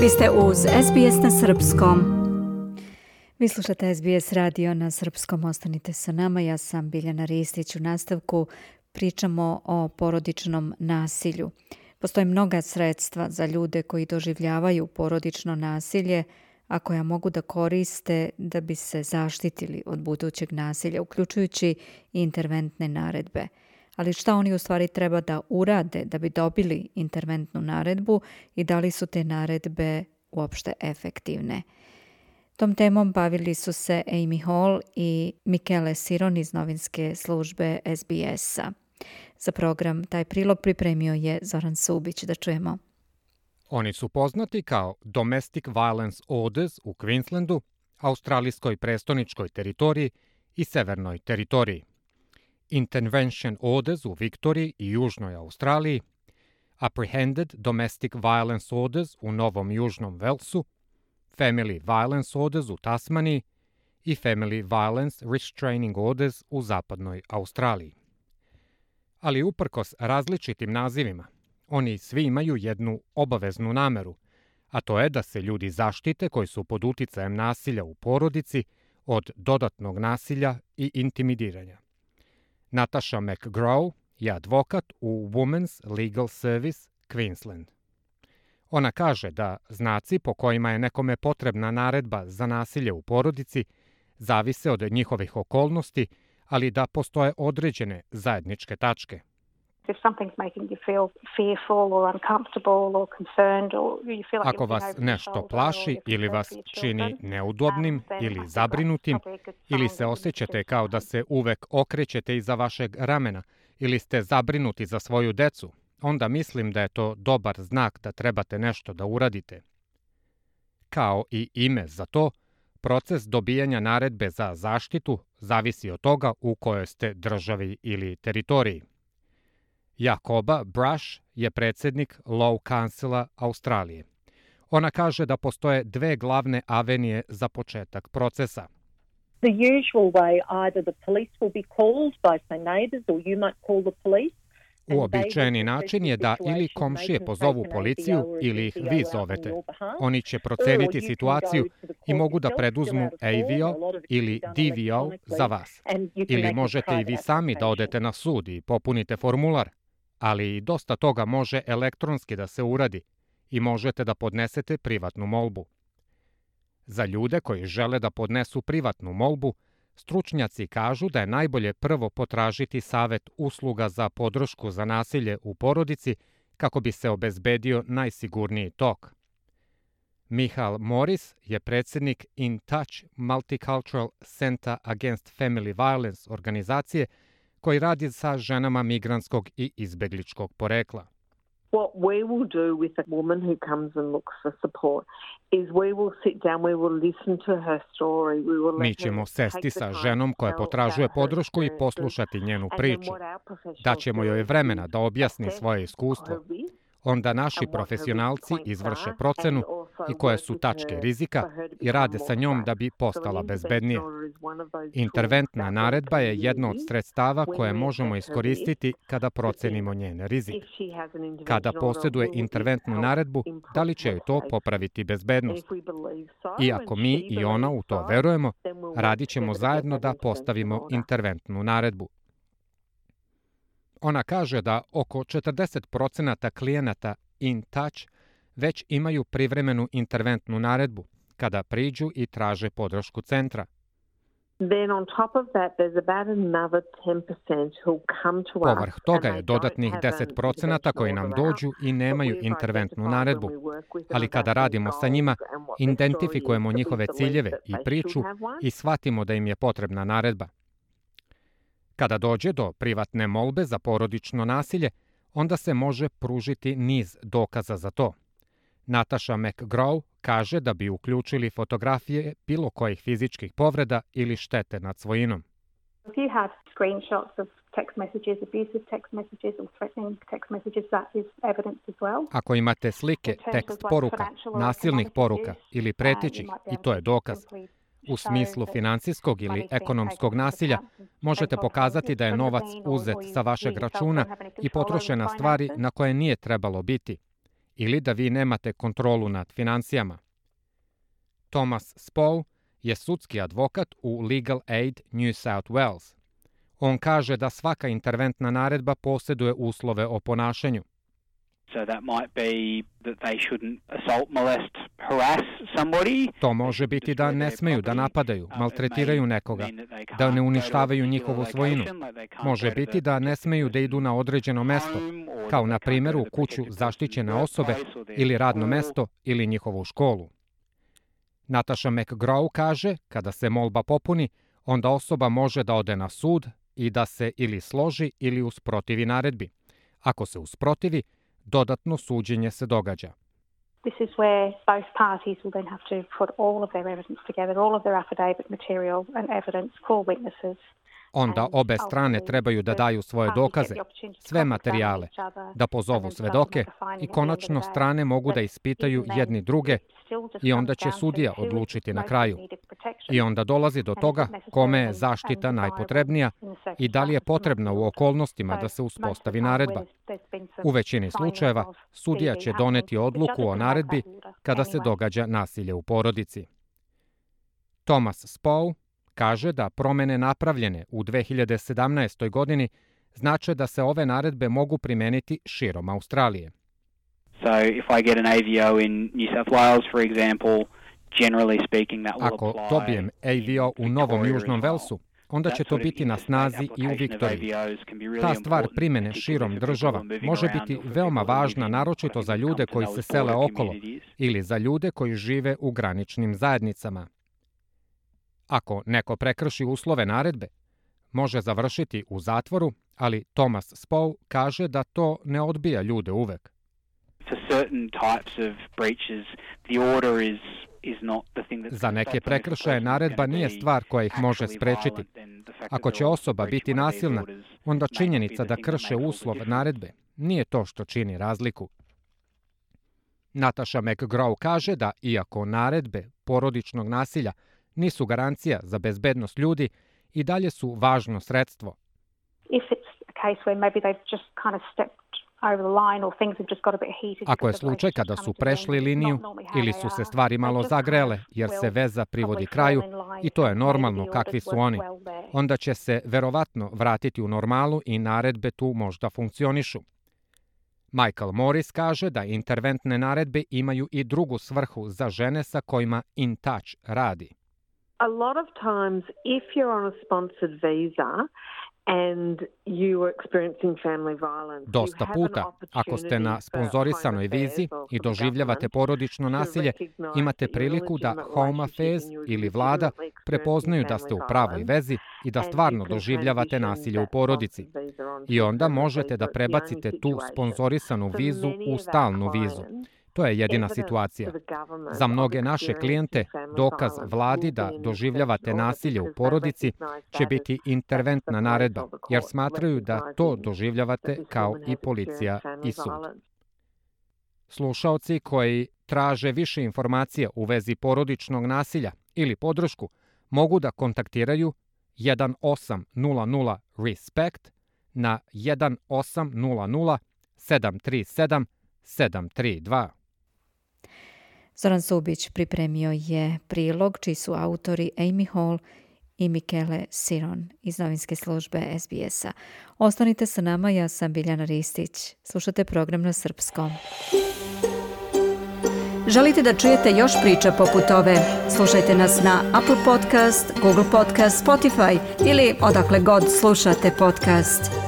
Vi ste uz SBS na srpskom. Vi slušate SBS radio na srpskom. Ostanite sa nama. Ja sam Biljana Ristić. U nastavku pričamo o porodičnom nasilju. Postoje mnoga sredstva za ljude koji doživljavaju porodično nasilje, a koja mogu da koriste da bi se zaštitili od budućeg nasilja, uključujući i interventne naredbe. Ali šta oni u stvari treba da urade da bi dobili interventnu naredbu i da li su te naredbe uopšte efektivne? Tom temom bavili su se Amy Hall i Michele Siron iz novinske službe SBS-a. Za program taj prilog pripremio je Zoran Subić. Da čujemo. Oni su poznati kao Domestic Violence Orders u Queenslandu, australijskoj prestoničkoj teritoriji i severnoj teritoriji, Intervention Orders u Viktoriji i južnoj Australiji, Apprehended Domestic Violence Orders u Novom Južnom Velsu, Family Violence Orders u Tasmaniji i Family Violence Restraining Orders u zapadnoj Australiji. Ali uprkos različitim nazivima, oni svi imaju jednu obaveznu nameru, a to je da se ljudi zaštite koji su pod uticajem nasilja u porodici od dodatnog nasilja i intimidiranja. Natasha McGraw je advokat u Women's Legal Service Queensland. Ona kaže da znaci po kojima je nekome potrebna naredba za nasilje u porodici zavise od njihovih okolnosti, ali da postoje određene zajedničke tačke. Ako vas nešto plaši ili vas čini neudobnim ili zabrinutim, ili se osjećate kao da se uvek okrećete iza vašeg ramena ili ste zabrinuti za svoju decu, onda mislim da je to dobar znak da trebate nešto da uradite. Kao i ime za to, proces dobijanja naredbe za zaštitu zavisi od toga u kojoj ste državi ili teritoriji. Jakoba Brush je predsjednik Law Councila Australije. Ona kaže da postoje dve glavne avenije za početak procesa. The usual way, either the police will be called by say neighbours or you might call the police. Uobičajeni način je da ili komšije pozovu policiju ili ih vi zovete. Oni će proceniti situaciju i mogu da preduzmu AVO ili DVO za vas. Ili možete i vi sami da odete na sud i popunite formular, ali dosta toga može elektronski da se uradi i možete da podnesete privatnu molbu. Za ljude koji žele da podnesu privatnu molbu, stručnjaci kažu da je najbolje prvo potražiti savet usluga za podršku za nasilje u porodici kako bi se obezbedio najsigurniji tok. Michal Morris je predsjednik In Touch Multicultural Center Against Family Violence organizacije koji radi sa ženama migrantskog i izbegličkog porekla. What we will do with a woman who comes and looks for support is we will sit down, we will listen to her story, we will Mi ćemo sesti sa ženom koja potražuje podršku i poslušati njenu priču. Daćemo joj vremena da objasni svoje iskustvo. Onda naši profesionalci izvrše procenu i koje su tačke rizika i rade sa njom da bi postala bezbednija. Interventna naredba je jedno od sredstava koje možemo iskoristiti kada procenimo njen rizik. Kada posjeduje interventnu naredbu, da li će joj to popraviti bezbednost? I ako mi i ona u to verujemo, radit ćemo zajedno da postavimo interventnu naredbu. Ona kaže da oko 40% klijenata In Touch već imaju privremenu interventnu naredbu kada priđu i traže podršku centra. Povrh toga je dodatnih 10% koji nam dođu i nemaju interventnu naredbu, ali kada radimo sa njima, identifikujemo njihove ciljeve i priču i shvatimo da im je potrebna naredba. Kada dođe do privatne molbe za porodično nasilje, onda se može pružiti niz dokaza za to. Natasha McGraw kaže da bi uključili fotografije bilo kojih fizičkih povreda ili štete nad svojinom. Ako imate slike, tekst poruka, nasilnih poruka ili pretećih, i to je dokaz. U smislu financijskog ili ekonomskog nasilja možete pokazati da je novac uzet sa vašeg računa i potrošen na stvari na koje nije trebalo biti. ili da vi nemate kontrolu nad financijama. Thomas Spow je sudski advokat u Legal Aid New South Wales. On kaže da svaka interventna naredba posjeduje uslove o ponašanju. So that might be that they shouldn't assault, molest, harass somebody. To može biti da ne smeju da napadaju, maltretiraju nekoga, da ne uništavaju njihovu svojinu. Može biti da ne smeju da idu na određeno mesto, kao na primjer u kuću zaštićene osobe ili radno mesto ili njihovu školu. Natasha McGraw kaže, kada se molba popuni, onda osoba može da ode na sud i da se ili složi ili usprotivi naredbi. Ako se usprotivi, dodatno suđenje se događa. This is where both parties will then have to put all of their evidence together, all of their affidavit material and evidence, call witnesses. Onda obe strane trebaju da daju svoje dokaze, sve materijale, da pozovu svedoke i konačno strane mogu da ispitaju jedni druge i onda će sudija odlučiti na kraju. I onda dolazi do toga kome je zaštita najpotrebnija i da li je potrebna u okolnostima da se uspostavi naredba. U većini slučajeva sudija će doneti odluku o naredbi kada se događa nasilje u porodici. Thomas Spow kaže da promene napravljene u 2017. godini znače da se ove naredbe mogu primeniti širom Australije. So if I get an AVO in New South Wales, for example, generally speaking that will apply. Ako dobijem AVO u Novom Južnom Velsu, onda će to biti na snazi i u Viktoriji. Ta stvar primene širom država može biti veoma važna, naročito za ljude koji se sele okolo ili za ljude koji žive u graničnim zajednicama. Ako neko prekrši uslove naredbe, može završiti u zatvoru, ali Thomas Spow kaže da to ne odbija ljude uvek. Za neke prekršaje naredba nije stvar koja ih može sprečiti. Ako će osoba biti nasilna, onda činjenica da krše uslov naredbe nije to što čini razliku. Natasha McGraw kaže da iako naredbe porodičnog nasilja nisu garancija za bezbednost ljudi, i dalje su važno sredstvo. Ako je slučaj kada su prešli liniju ili su se stvari malo zagrele jer se veza privodi kraju, i to je normalno kakvi su oni, onda će se verovatno vratiti u normalu i naredbe tu možda funkcionišu. Michael Morris kaže da interventne naredbe imaju i drugu svrhu za žene sa kojima In Touch radi. A lot of times, if you're on a sponsored visa and you are experiencing family violence, dosta puta, ako ste na sponzorisanoj vizi i doživljavate porodično nasilje, imate priliku da Home Affairs ili vlada prepoznaju da ste u pravoj vezi i da stvarno doživljavate nasilje u porodici. I onda možete da prebacite tu sponzorisanu vizu u stalnu vizu. To je jedina situacija. Za mnoge naše klijente dokaz vladi da doživljavate nasilje u porodici će biti interventna naredba, jer smatraju da to doživljavate kao i policija i sud. Slušaoci koji traže više informacija u vezi porodičnog nasilja ili podršku mogu da kontaktiraju 1800 RESPECT na 1800 737 732. Zoran Subić pripremio je prilog čiji su autori Amy Hall i Michele Siron iz novinske službe SBS-a. Ostanite sa nama, ja sam Biljana Ristić. Slušate program na srpskom. Želite da čujete još priča poput ove? Slušajte nas na Apple Podcast, Google Podcast, Spotify ili odakle god slušate podcast.